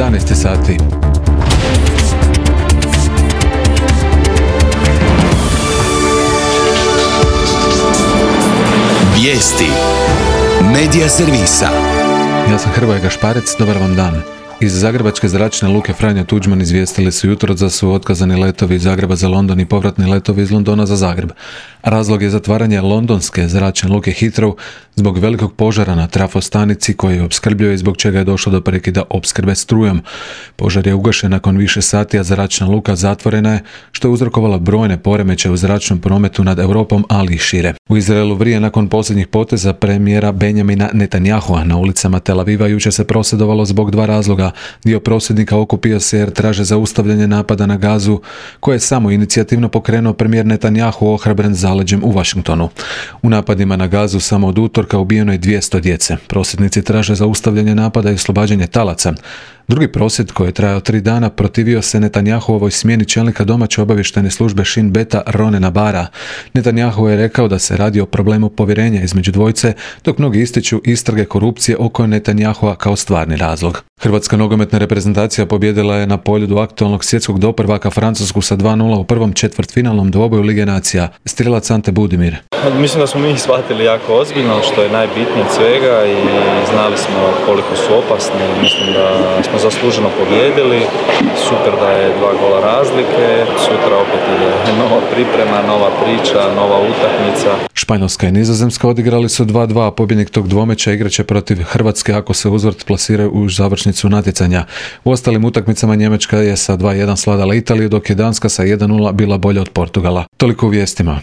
11 sati. Vijesti Medija servisa. Ja sam Hrvoje Gašparec, dobar vam dan. Iz Zagrebačke zračne luke Franjo Tuđman izvijestili su jutros da su otkazani letovi iz Zagreba za London i povratni letovi iz Londona za Zagreb. Razlog je zatvaranje londonske zračne luke Heathrow zbog velikog požara na trafostanici koji je opskrbljuje i zbog čega je došlo do prekida opskrbe strujom. Požar je ugašen nakon više sati, a zračna luka zatvorena je, što je uzrokovalo brojne poremećaje u zračnom prometu nad Europom, ali i šire. U Izraelu vrije nakon posljednjih poteza premijera Benjamina Netanyahua. Na ulicama Tel Aviva jučer se prosvjedovalo zbog dva razloga. Dio prosvjednika okupio se jer traže zaustavljanje napada na Gazu, koje je samo inicijativno pokrenuo premijer Netanyahu ohrabren zaleđem u Washingtonu. U napadima na Gazu samo od utorka ubijeno je 200 djece. Prosvjednici traže zaustavljanje napada i oslobađanje talaca. Drugi prosvjed, koji je trajao 3 dana, protivio se Netanyahuovoj smjeni čelnika domaće obavještajne službe Shin Beta Ronena Bara. Netanyahu je rekao da se radi o problemu povjerenja između dvojice, dok mnogi ističu istrage korupcije oko Netanyahua kao stvarni razlog. Hrvatska nogometna reprezentacija pobjedila je na poljudu aktualnog svjetskog doprvaka Francusku sa 2:0 u prvom četvrtfinalnom dvoboju Lige nacija. Strijelac Ante Budimir. Mislim da smo mi shvatili jako ozbiljno, što je najbitnije od svega, i znali smo koliko su opasni. Mislim da smo zasluženo pobjedili. Super da je 2 gola razlike. Sutra opet ide nova priprema, nova priča, nova utakmica. Španjolska i Nizozemska odigrali su 2:2, a pobjednik tog dvomeća igraće protiv Hrvatske ako se uzvrt plasiraju u završnicu natjecanja. U ostalim utakmicama Njemačka je sa 2:1 svladala Italiju, dok je Danska sa 1:0 bila bolja od Portugala. Toliko u vijestima.